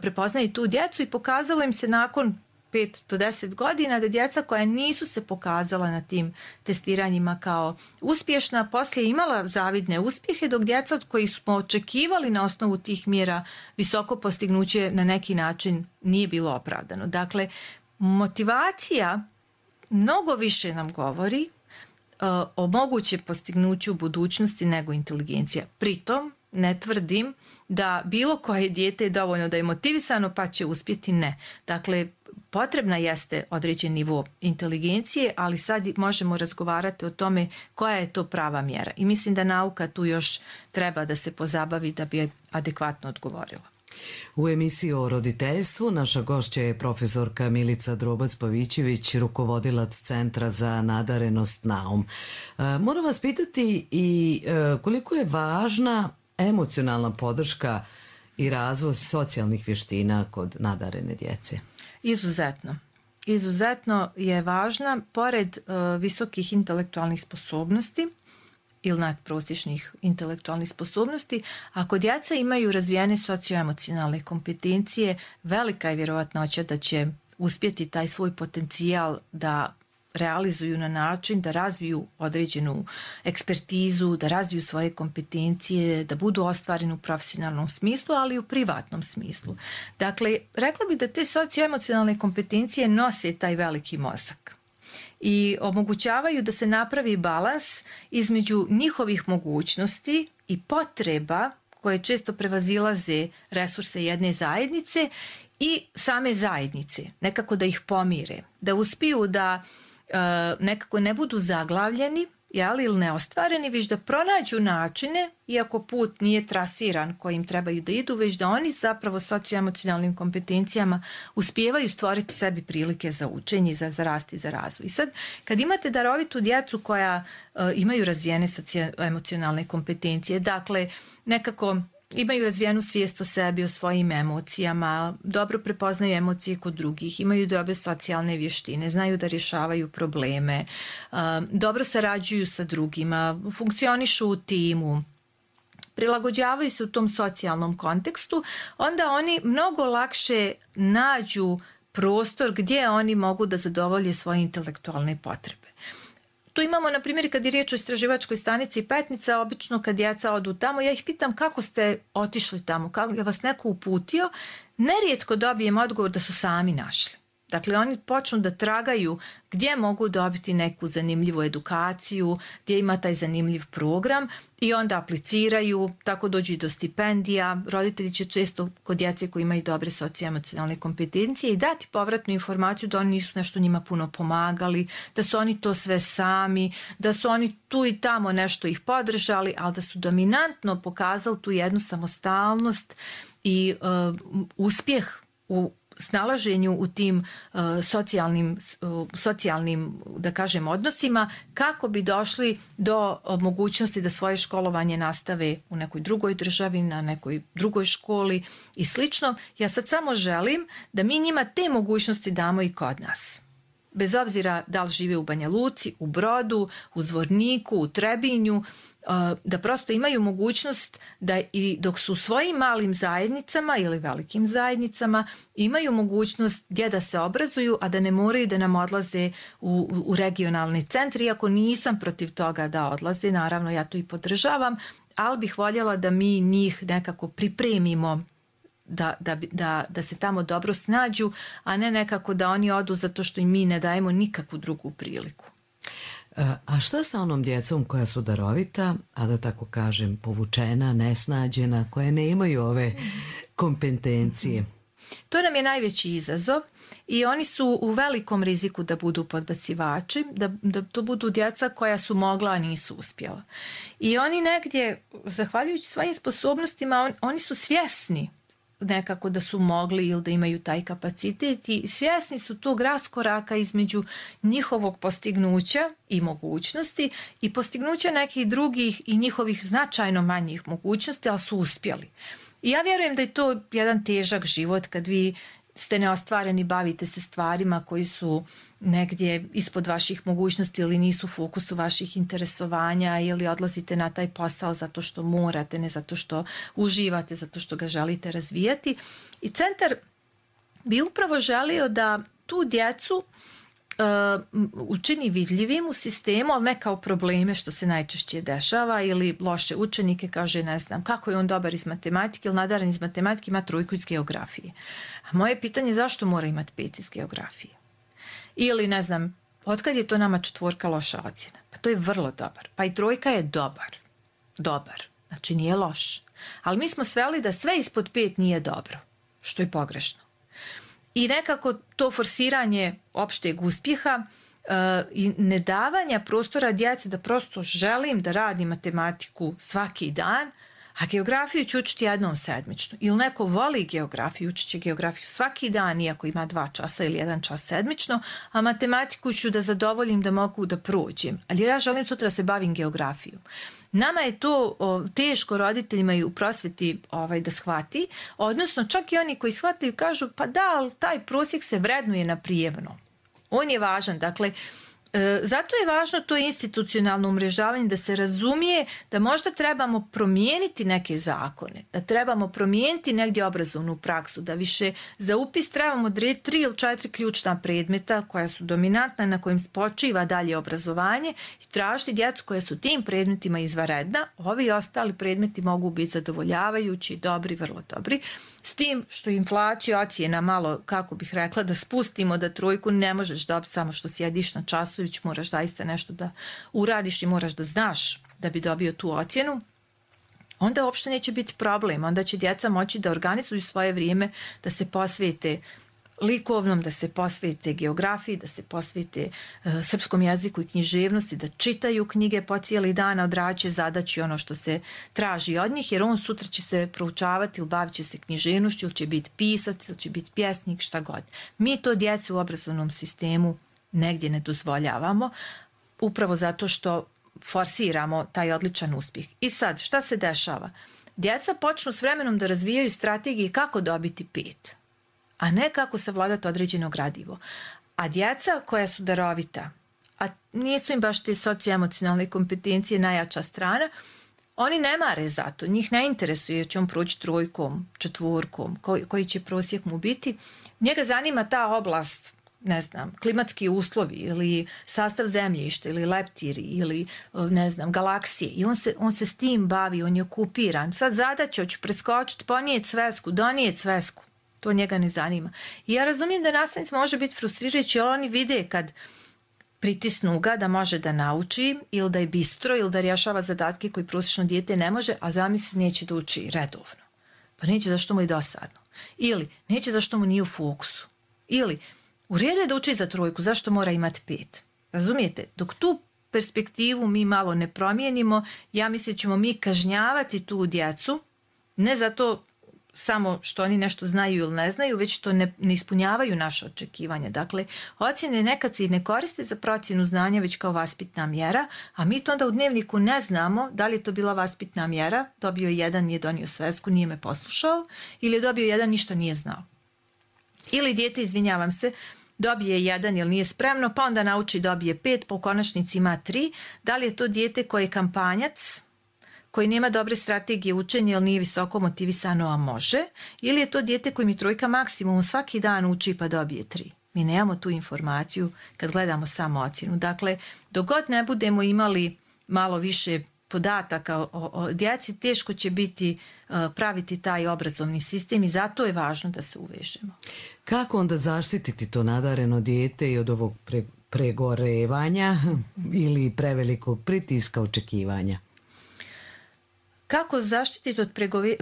prepoznaju tu djecu i pokazalo im se nakon pet do deset godina da djeca koja nisu se pokazala na tim testiranjima kao uspješna, poslije imala zavidne uspjehe, dok djeca od kojih smo očekivali na osnovu tih mjera visoko postignuće na neki način nije bilo opravdano. Dakle, motivacija mnogo više nam govori uh, o mogućem postignuću u budućnosti nego inteligencija. Pritom, ne tvrdim da bilo koje dijete je dovoljno da je motivisano pa će uspjeti, ne. Dakle, potrebna jeste određen nivo inteligencije, ali sad možemo razgovarati o tome koja je to prava mjera. I mislim da nauka tu još treba da se pozabavi da bi adekvatno odgovorila. U emisiji o roditeljstvu naša gošća je profesorka Milica Drobac-Pavićević, rukovodilac Centra za nadarenost Naum. Moram vas pitati i koliko je važna emocionalna podrška i razvoj socijalnih vještina kod nadarene djece? Izuzetno. Izuzetno je važna, pored uh, visokih intelektualnih sposobnosti ili nadprosječnih intelektualnih sposobnosti, ako djeca imaju razvijene socioemocionalne kompetencije, velika je vjerovatnoća da će uspjeti taj svoj potencijal da realizuju na način da razviju određenu ekspertizu, da razviju svoje kompetencije, da budu ostvareni u profesionalnom smislu, ali i u privatnom smislu. Dakle, rekla bih da te socioemocionalne kompetencije nose taj veliki mozak i omogućavaju da se napravi balans između njihovih mogućnosti i potreba koje često prevazilaze resurse jedne zajednice i same zajednice, nekako da ih pomire, da uspiju da nekako ne budu zaglavljeni, jeli, ili neostvareni, već da pronađu načine, iako put nije trasiran kojim trebaju da idu, već da oni zapravo socioemocionalnim kompetencijama uspijevaju stvoriti sebi prilike za učenje, za, za rast i za razvoj. I sad, kad imate darovitu djecu koja uh, imaju razvijene socioemocionalne kompetencije, dakle, nekako imaju razvijenu svijest o sebi, o svojim emocijama, dobro prepoznaju emocije kod drugih, imaju dobre socijalne vještine, znaju da rješavaju probleme, dobro sarađuju sa drugima, funkcionišu u timu, prilagođavaju se u tom socijalnom kontekstu, onda oni mnogo lakše nađu prostor gdje oni mogu da zadovolje svoje intelektualne potrebe. Tu imamo, na primjer, kad je riječ o istraživačkoj stanici Petnica, obično kad djeca odu tamo, ja ih pitam kako ste otišli tamo, kako je vas neko uputio, nerijetko dobijem odgovor da su sami našli. Dakle, oni počnu da tragaju gdje mogu dobiti neku zanimljivu edukaciju, gdje ima taj zanimljiv program i onda apliciraju, tako dođu i do stipendija. Roditelji će često kod djece koji imaju dobre socioemocionalne kompetencije i dati povratnu informaciju da oni nisu nešto njima puno pomagali, da su oni to sve sami, da su oni tu i tamo nešto ih podržali, ali da su dominantno pokazali tu jednu samostalnost i uh, uspjeh u snalaženju u tim uh, socijalnim, uh, socijalnim, da kažem, odnosima, kako bi došli do uh, mogućnosti da svoje školovanje nastave u nekoj drugoj državi, na nekoj drugoj školi i slično. Ja sad samo želim da mi njima te mogućnosti damo i kod nas. Bez obzira da li žive u Banja Luci, u Brodu, u Zvorniku, u Trebinju, da prosto imaju mogućnost da i dok su u svojim malim zajednicama ili velikim zajednicama imaju mogućnost gdje da se obrazuju, a da ne moraju da nam odlaze u, u regionalni centri, iako nisam protiv toga da odlaze, naravno ja to i podržavam, ali bih voljela da mi njih nekako pripremimo Da, da, da, da se tamo dobro snađu, a ne nekako da oni odu zato što im mi ne dajemo nikakvu drugu priliku. A šta sa onom djecom koja su darovita, a da tako kažem povučena, nesnađena, koje ne imaju ove kompetencije? To nam je najveći izazov i oni su u velikom riziku da budu podbacivači, da, da to budu djeca koja su mogla, a nisu uspjela. I oni negdje, zahvaljujući svojim sposobnostima, on, oni su svjesni nekako da su mogli ili da imaju taj kapacitet i svjesni su tog raskoraka između njihovog postignuća i mogućnosti i postignuća nekih drugih i njihovih značajno manjih mogućnosti, ali su uspjeli. I ja vjerujem da je to jedan težak život kad vi ste neostvareni, bavite se stvarima koji su negdje ispod vaših mogućnosti ili nisu u fokusu vaših interesovanja ili odlazite na taj posao zato što morate, ne zato što uživate, zato što ga želite razvijati. I centar bi upravo želio da tu djecu uh, učini vidljivim u sistemu, ali ne kao probleme što se najčešće dešava ili loše učenike, kaže ne znam kako je on dobar iz matematike ili nadaran iz matematike, ima trojku iz geografije. A moje pitanje je zašto mora imati pet iz geografije? Ili ne znam, otkad je to nama četvorka loša ocjena? Pa to je vrlo dobar. Pa i trojka je dobar. Dobar. Znači nije loš. Ali mi smo sveli da sve ispod pet nije dobro. Što je pogrešno. I nekako to forsiranje opšteg uspjeha uh, i nedavanja prostora djece da prosto želim da radim matematiku svaki dan, a geografiju ću učiti jednom sedmično. Ili neko voli geografiju, učit će geografiju svaki dan, iako ima dva časa ili jedan čas sedmično, a matematiku ću da zadovoljim da mogu da prođem. Ali ja želim sutra da se bavim geografijom. Nama je to o, teško roditeljima i u prosvjeti ovaj, da shvati, odnosno čak i oni koji shvataju kažu pa da, ali taj prosjek se vrednuje na prijemno. On je važan, dakle, E, zato je važno to institucionalno umrežavanje, da se razumije da možda trebamo promijeniti neke zakone, da trebamo promijeniti negdje obrazovnu praksu, da više za upis trebamo tri ili četiri ključna predmeta koja su dominantna, na kojim spočiva dalje obrazovanje i tražiti djecu koja su tim predmetima izvanredna. Ovi ostali predmeti mogu biti zadovoljavajući, dobri, vrlo dobri. S tim što inflaciju ocjena malo, kako bih rekla, da spustimo da trojku ne možeš dobiti samo što sjediš na času, već moraš zaista nešto da uradiš i moraš da znaš da bi dobio tu ocjenu, onda uopšte neće biti problem. Onda će djeca moći da organizuju svoje vrijeme, da se posvete likovnom, da se posvete geografiji, da se posvete uh, srpskom jeziku i književnosti, da čitaju knjige po cijeli dan, odrađe zadaći ono što se traži od njih, jer on sutra će se proučavati ili bavit će se književnošću, ili će biti pisac, ili će biti pjesnik, šta god. Mi to djeci u obrazovnom sistemu negdje ne dozvoljavamo, upravo zato što forsiramo taj odličan uspjeh. I sad, šta se dešava? Djeca počnu s vremenom da razvijaju strategije kako dobiti pet, a ne kako savladati određeno gradivo. A djeca koja su darovita, a nisu im baš te socioemocionalne kompetencije najjača strana, oni ne mare za to, njih ne interesuje će on proći trojkom, četvorkom, koji, koji će prosjek mu biti. Njega zanima ta oblast, ne znam, klimatski uslovi ili sastav zemljišta ili leptiri ili ne znam, galaksije i on se, on se s tim bavi, on je okupiran. Sad zadaća, hoću preskočiti, ponijeti svesku, donijeti svesku. To njega ne zanima. I ja razumijem da nastavnici može biti frustrirajući, ali oni vide kad pritisnu ga da može da nauči ili da je bistro ili da rješava zadatke koji prosječno dijete ne može, a zamisli neće da uči redovno. Pa neće zašto mu je dosadno. Ili neće zašto mu nije u fokusu. Ili u redu je da uči za trojku, zašto mora imati pet? Razumijete? Dok tu perspektivu mi malo ne promijenimo, ja mislim da ćemo mi kažnjavati tu djecu, ne zato samo što oni nešto znaju ili ne znaju, već što ne, ne ispunjavaju naše očekivanja. Dakle, ocjene nekad se i ne koriste za procjenu znanja, već kao vaspitna mjera, a mi to onda u dnevniku ne znamo da li je to bila vaspitna mjera, dobio jedan, nije donio svesku, nije me poslušao, ili je dobio jedan, ništa nije znao. Ili dijete, izvinjavam se, dobije jedan jer nije spremno, pa onda nauči dobije pet, pa u konačnici ima tri. Da li je to dijete koje je kampanjac, koji nema dobre strategije učenja jer nije visoko motivisano, a može, ili je to dijete koji mi trojka maksimum svaki dan uči pa dobije tri. Mi nemamo tu informaciju kad gledamo samo ocjenu. Dakle, dok god ne budemo imali malo više podataka o, o djeci, teško će biti uh, praviti taj obrazovni sistem i zato je važno da se uvežemo. Kako onda zaštititi to nadareno dijete i od ovog pre, pregorevanja ili prevelikog pritiska očekivanja? Kako zaštititi od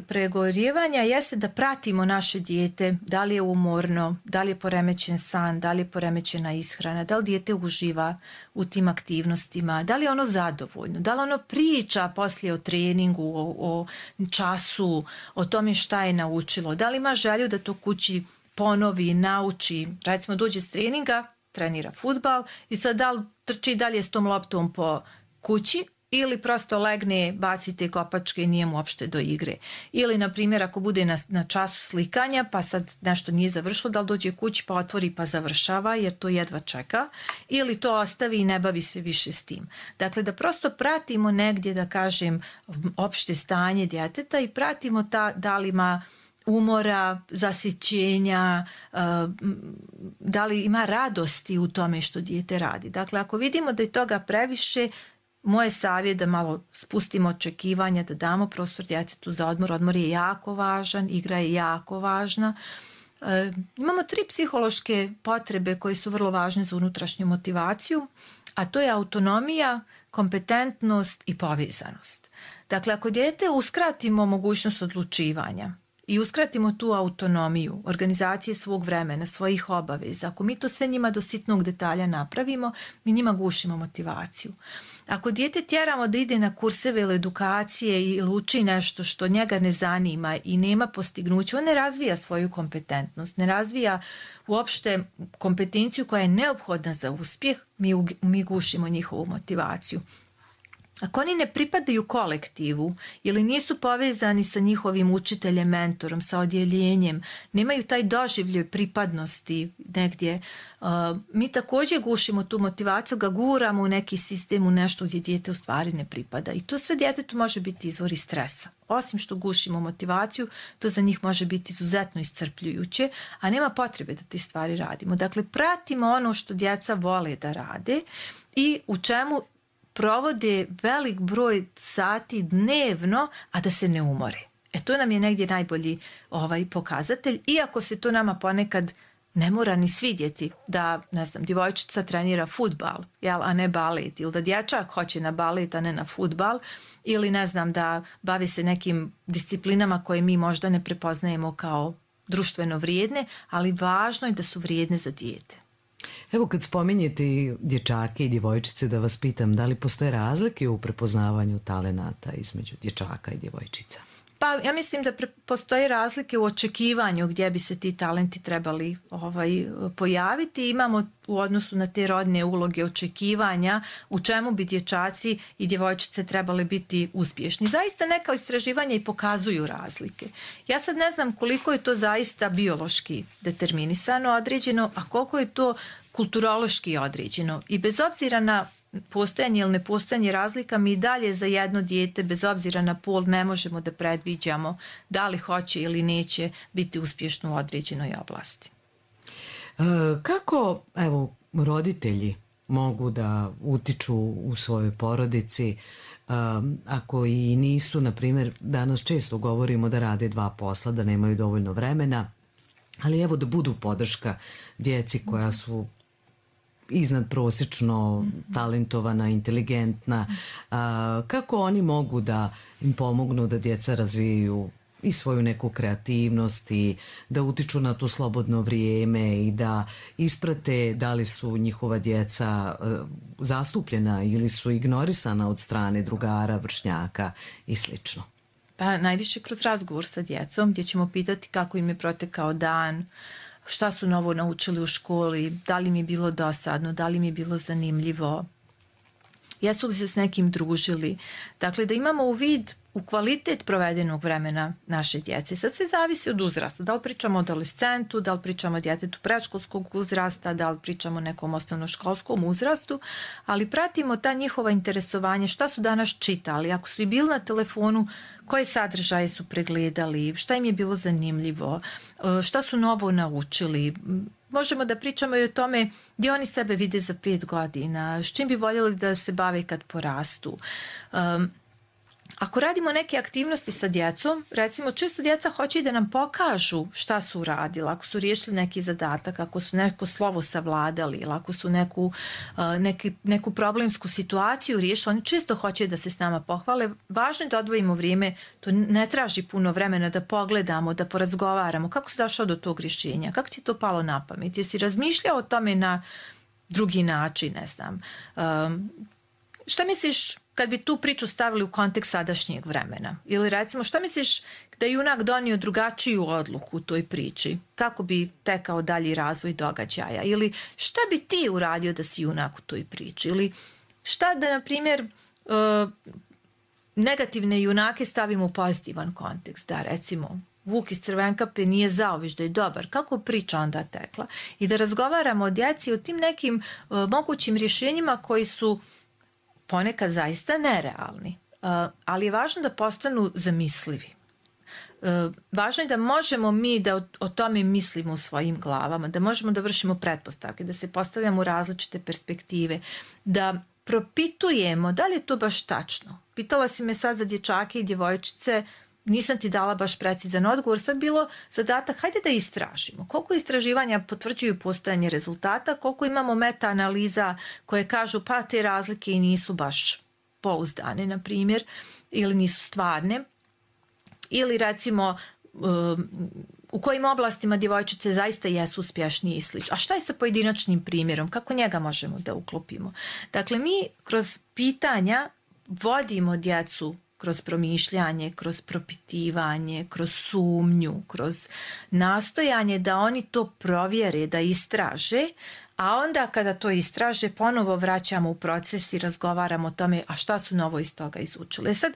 pregorjevanja jeste da pratimo naše dijete, da li je umorno, da li je poremećen san, da li je poremećena ishrana, da li dijete uživa u tim aktivnostima, da li je ono zadovoljno, da li ono priča poslije o treningu, o, o času, o tome šta je naučilo, da li ima želju da to kući ponovi, nauči, recimo dođe s treninga, trenira fudbal i sad da li trči dalje s tom loptom po kući, ili prosto legne, bacite kopačke i nije mu uopšte do igre. Ili, na primjer, ako bude na, na času slikanja, pa sad nešto nije završilo, da li dođe kući pa otvori pa završava, jer to jedva čeka, ili to ostavi i ne bavi se više s tim. Dakle, da prosto pratimo negdje, da kažem, opšte stanje djeteta i pratimo ta, da li ima umora, zasićenja, da li ima radosti u tome što dijete radi. Dakle, ako vidimo da je toga previše, moj savjet da malo spustimo očekivanja, da damo prostor djetetu za odmor. Odmor je jako važan, igra je jako važna. E, imamo tri psihološke potrebe koje su vrlo važne za unutrašnju motivaciju, a to je autonomija, kompetentnost i povezanost. Dakle, ako dijete uskratimo mogućnost odlučivanja i uskratimo tu autonomiju, organizacije svog vremena, svojih obaveza, ako mi to sve njima do sitnog detalja napravimo, mi njima gušimo motivaciju. Ako dijete tjeramo da ide na kurseve ili edukacije ili uči nešto što njega ne zanima i nema postignuća, on ne razvija svoju kompetentnost, ne razvija uopšte kompetenciju koja je neophodna za uspjeh, mi, mi gušimo njihovu motivaciju. Ako oni ne pripadaju kolektivu ili nisu povezani sa njihovim učiteljem, mentorom, sa odjeljenjem, nemaju taj doživljaj pripadnosti negdje, uh, mi također gušimo tu motivaciju, ga guramo u neki sistem, u nešto gdje dijete u stvari ne pripada. I to sve djetetu može biti izvori stresa. Osim što gušimo motivaciju, to za njih može biti izuzetno iscrpljujuće, a nema potrebe da te stvari radimo. Dakle, pratimo ono što djeca vole da rade i u čemu provode velik broj sati dnevno, a da se ne umore. E to nam je negdje najbolji ovaj pokazatelj, iako se to nama ponekad ne mora ni svidjeti da, ne znam, djevojčica trenira fudbal, jel, a ne balet, ili da dječak hoće na balet, a ne na fudbal, ili ne znam, da bavi se nekim disciplinama koje mi možda ne prepoznajemo kao društveno vrijedne, ali važno je da su vrijedne za dijete. Evo, kad spominjete dječake i djevojčice, da vas pitam, da li postoje razlike u prepoznavanju talenata između dječaka i djevojčica? Pa ja mislim da pre- postoje razlike u očekivanju gdje bi se ti talenti trebali ovaj, pojaviti. Imamo u odnosu na te rodne uloge očekivanja u čemu bi dječaci i djevojčice trebali biti uspješni. Zaista neka istraživanja i pokazuju razlike. Ja sad ne znam koliko je to zaista biološki determinisano, određeno, a koliko je to kulturološki određeno. I bez obzira na postojanje ili nepostojanje razlika, mi dalje za jedno dijete, bez obzira na pol, ne možemo da predviđamo da li hoće ili neće biti uspješno u određenoj oblasti. E, kako, evo, roditelji mogu da utiču u svojoj porodici, um, ako i nisu, na primjer, danas često govorimo da rade dva posla, da nemaju dovoljno vremena, ali evo da budu podrška djeci koja su iznad prosječno talentovana, inteligentna, a, kako oni mogu da im pomognu da djeca razvijaju i svoju neku kreativnost i da utiču na to slobodno vrijeme i da isprate da li su njihova djeca a, zastupljena ili su ignorisana od strane drugara, vršnjaka i slično. Pa najviše kroz razgovor sa djecom gdje ćemo pitati kako im je protekao dan, šta su novo naučili u školi, da li mi je bilo dosadno, da li mi je bilo zanimljivo, jesu li se s nekim družili. Dakle, da imamo u vid u kvalitet provedenog vremena naše djece. Sad se zavisi od uzrasta. Da li pričamo o adolescentu, da li pričamo o djetetu predškolskog uzrasta, da li pričamo o nekom osnovnoškolskom uzrastu, ali pratimo ta njihova interesovanja, šta su danas čitali, ako su i bili na telefonu, koje sadržaje su pregledali, šta im je bilo zanimljivo, šta su novo naučili. Možemo da pričamo i o tome gdje oni sebe vide za pet godina, s čim bi voljeli da se bave kad porastu. Um, Ako radimo neke aktivnosti sa djecom, recimo često djeca hoće da nam pokažu šta su uradila, ako su riješili neki zadatak, ako su neko slovo savladali ili ako su neku, neki, neku problemsku situaciju riješili, oni često hoće da se s nama pohvale. Važno je da odvojimo vrijeme, to ne traži puno vremena da pogledamo, da porazgovaramo kako si došao do tog rješenja, kako ti je to palo na pamet, jesi razmišljao o tome na drugi način, ne znam. Um, šta misliš kad bi tu priču stavili u kontekst sadašnjeg vremena? Ili recimo, što misliš da je junak donio drugačiju odluku u toj priči? Kako bi tekao dalji razvoj događaja? Ili šta bi ti uradio da si junak u toj priči? Ili šta da, na primjer, negativne junake stavimo u pozitivan kontekst? Da, recimo, Vuk iz Crvenkape nije zao, već da je dobar. Kako priča onda tekla? I da razgovaramo o djeci, o tim nekim mogućim rješenjima koji su ponekad zaista nerealni, ali je važno da postanu zamislivi. Važno je da možemo mi da o tome mislimo u svojim glavama, da možemo da vršimo pretpostavke, da se postavljamo u različite perspektive, da propitujemo da li je to baš tačno. Pitala si me sad za dječake i djevojčice, nisam ti dala baš precizan odgovor, sad bilo zadatak, hajde da istražimo. Koliko istraživanja potvrđuju postojanje rezultata, koliko imamo meta-analiza koje kažu pa te razlike i nisu baš pouzdane, na primjer, ili nisu stvarne, ili recimo u kojim oblastima djevojčice zaista jesu uspješnije i slično. A šta je sa pojedinačnim primjerom? Kako njega možemo da uklopimo? Dakle, mi kroz pitanja vodimo djecu kroz promišljanje, kroz propitivanje, kroz sumnju, kroz nastojanje da oni to provjere, da istraže, a onda kada to istraže ponovo vraćamo u proces i razgovaramo o tome a šta su novo iz toga izučili. Sad,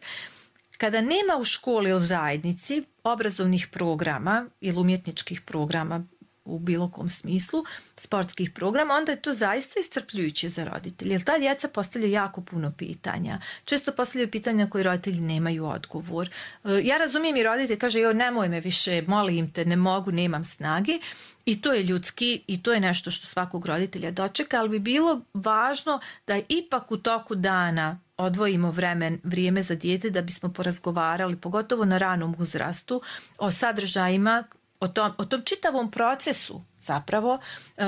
kada nema u školi ili zajednici obrazovnih programa ili umjetničkih programa u bilo kom smislu, sportskih programa, onda je to zaista iscrpljujuće za roditelje. Jer ta djeca postavljaju jako puno pitanja. Često postavljaju pitanja koje roditelji nemaju odgovor. Ja razumijem i roditelj kaže, jo, nemoj me više, molim te, ne mogu, nemam snage. I to je ljudski i to je nešto što svakog roditelja dočeka, ali bi bilo važno da ipak u toku dana odvojimo vremen, vrijeme za dijete da bismo porazgovarali, pogotovo na ranom uzrastu, o sadržajima, O tom, o tom čitavom procesu zapravo,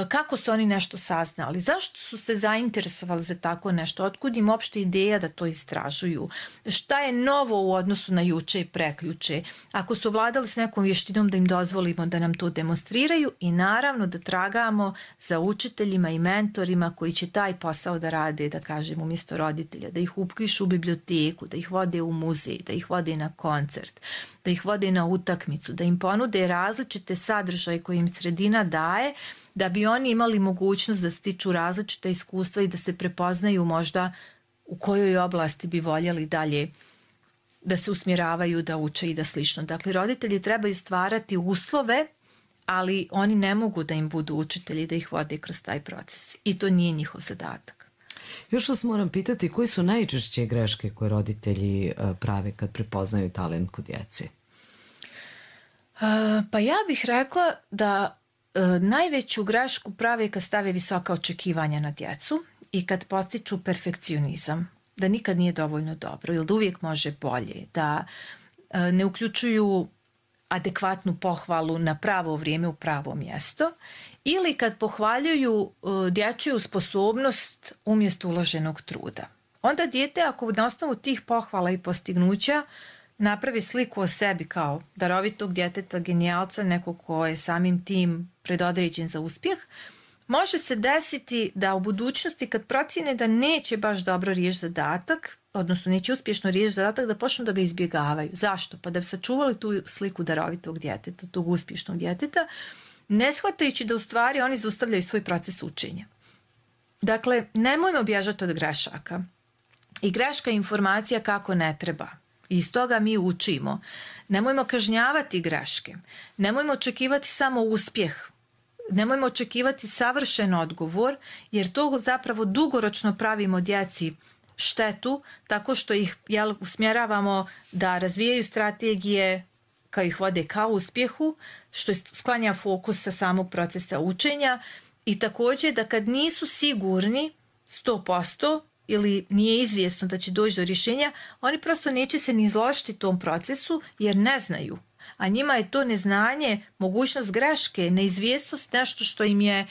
kako su oni nešto saznali, zašto su se zainteresovali za tako nešto, otkud im uopšte ideja da to istražuju, šta je novo u odnosu na juče i preključe, ako su vladali s nekom vještinom da im dozvolimo da nam to demonstriraju i naravno da tragamo za učiteljima i mentorima koji će taj posao da rade, da kažem, umjesto roditelja, da ih upišu u biblioteku, da ih vode u muzej, da ih vode na koncert, da ih vode na utakmicu, da im ponude različite sadržaje koje im sredina daje, da bi oni imali mogućnost da stiču različita iskustva i da se prepoznaju možda u kojoj oblasti bi voljeli dalje da se usmjeravaju, da uče i da slično. Dakle, roditelji trebaju stvarati uslove, ali oni ne mogu da im budu učitelji, da ih vode kroz taj proces. I to nije njihov zadatak. Još vas moram pitati, koji su najčešće greške koje roditelji prave kad prepoznaju talent kod djece? Uh, pa ja bih rekla da uh, najveću grešku prave kad stave visoka očekivanja na djecu i kad postiču perfekcionizam, da nikad nije dovoljno dobro ili da uvijek može bolje, da uh, ne uključuju adekvatnu pohvalu na pravo vrijeme u pravo mjesto ili kad pohvaljuju uh, dječju sposobnost umjesto uloženog truda. Onda dijete, ako na osnovu tih pohvala i postignuća napravi sliku o sebi kao darovitog djeteta, genijalca, nekog ko je samim tim predodređen za uspjeh, može se desiti da u budućnosti kad procjene da neće baš dobro riješiti zadatak, odnosno neće uspješno riješiti zadatak, da počnu da ga izbjegavaju. Zašto? Pa da bi sačuvali tu sliku darovitog djeteta, tog uspješnog djeteta, ne shvatajući da u stvari oni zaustavljaju svoj proces učenja. Dakle, nemojmo bježati od grešaka. I greška je informacija kako ne treba. I iz toga mi učimo. Nemojmo kažnjavati greške. Nemojmo očekivati samo uspjeh. Nemojmo očekivati savršen odgovor, jer to zapravo dugoročno pravimo djeci štetu, tako što ih jel, usmjeravamo da razvijaju strategije kao ih vode ka uspjehu, što sklanja fokus sa samog procesa učenja i također da kad nisu sigurni sto posto ili nije izvjesno da će doći do rješenja, oni prosto neće se ni izložiti tom procesu jer ne znaju. A njima je to neznanje, mogućnost greške, neizvjesnost nešto što im je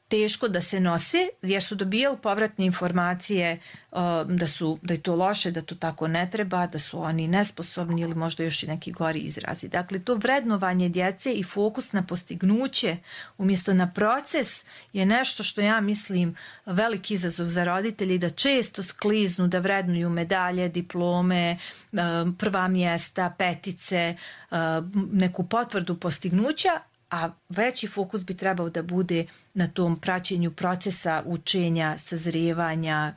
teško da se nose, jer su dobijali povratne informacije uh, da, su, da je to loše, da to tako ne treba, da su oni nesposobni ili možda još i neki gori izrazi. Dakle, to vrednovanje djece i fokus na postignuće umjesto na proces je nešto što ja mislim veliki izazov za roditelji, da često skliznu, da vrednuju medalje, diplome, uh, prva mjesta, petice, uh, neku potvrdu postignuća, a veći fokus bi trebao da bude na tom praćenju procesa učenja, sazrijevanja,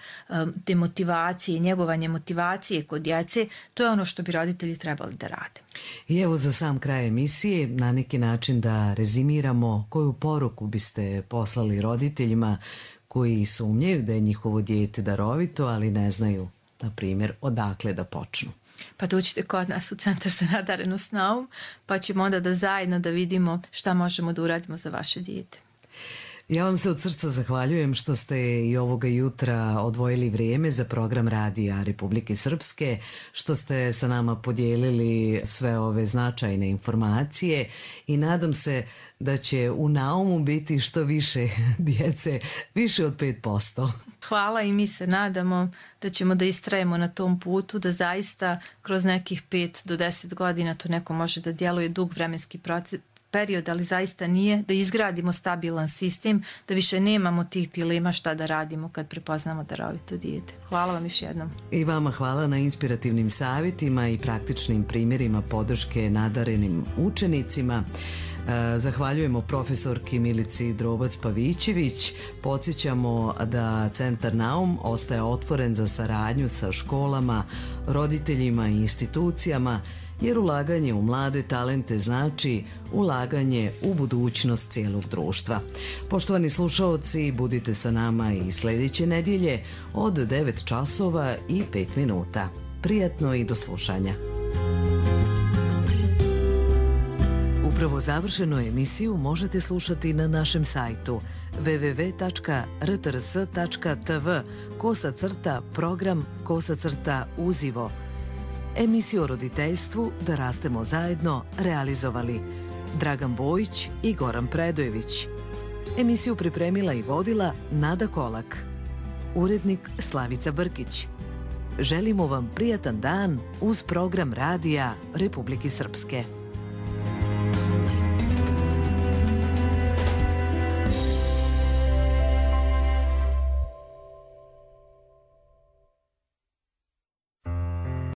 te motivacije, njegovanje motivacije kod djece. To je ono što bi roditelji trebali da rade. I evo za sam kraj emisije, na neki način da rezimiramo, koju poruku biste poslali roditeljima koji sumnjaju da je njihovo dijete darovito, ali ne znaju, na primjer, odakle da počnu. Pa dođite kod nas u Centar za nadarenost Naum, pa ćemo onda da zajedno da vidimo šta možemo da uradimo za vaše dijete. Ja vam se od srca zahvaljujem što ste i ovoga jutra odvojili vrijeme za program Radija Republike Srpske, što ste sa nama podijelili sve ove značajne informacije i nadam se da će u Naumu biti što više djece, više od pet posto. Hvala i mi se nadamo da ćemo da istrajemo na tom putu, da zaista kroz nekih pet do deset godina to neko može da djeluje dug vremenski proces, period, ali zaista nije, da izgradimo stabilan sistem, da više nemamo tih dilema šta da radimo kad prepoznamo darovito dijete. Hvala vam još jednom. I vama hvala na inspirativnim savjetima i praktičnim primjerima podrške nadarenim učenicima. Zahvaljujemo profesorki Milici Drobac-Pavićević. Podsjećamo da Centar Naum ostaje otvoren za saradnju sa školama, roditeljima i institucijama, jer ulaganje u mlade talente znači ulaganje u budućnost cijelog društva. Poštovani slušaoci, budite sa nama i sljedeće nedjelje od devet časova i pet minuta. Prijatno i do slušanja. Upravo završenu emisiju možete slušati na našem sajtu w w w tačka r t r s tačka t v kosa crta program kosa crta uzivo. Emisiju o roditeljstvu Da rastemo zajedno realizovali Dragan Bojić i Goran Predojević. Emisiju pripremila i vodila Nada Kolak. Urednik Slavica Brkić. Želimo vam prijatan dan uz program Radija Republike Srpske.